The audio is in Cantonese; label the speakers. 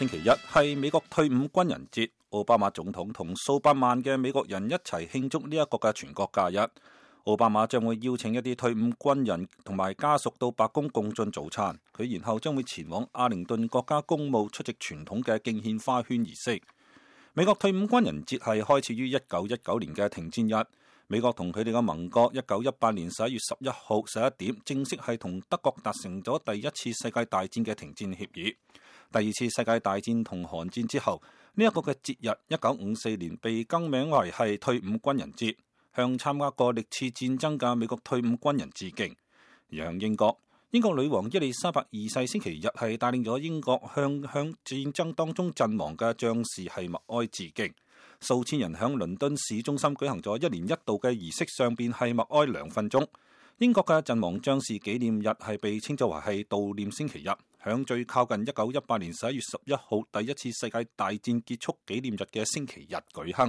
Speaker 1: 星期一係美國退伍軍人節，奧巴馬總統同數百萬嘅美國人一齊慶祝呢一個嘅全國假日。奧巴馬將會邀請一啲退伍軍人同埋家屬到白宮共進早餐，佢然後將會前往阿靈頓國家公墓出席傳統嘅敬獻花圈儀式。美國退伍軍人節係開始於1919年嘅停戰日。美國同佢哋嘅盟國1918年11月11號11點正式係同德國達成咗第一次世界大戰嘅停戰協議。第二次世界大戰同韓戰之後，呢一個嘅節日1954年被更名為係退伍軍人節，向參加過歷次戰爭嘅美國退伍軍人致敬。而向英國女王伊麗莎白二世星期日係帶領咗英國向戰爭當中陣亡嘅將士係默哀致敬。數千人響倫敦市中心舉行咗1年1度嘅儀式，上邊係默哀2分鐘。英國嘅陣亡將士紀念日係被稱作為係悼念星期日，響最靠近1918年11月11號第一次世界大戰結束紀念日嘅星期日舉行。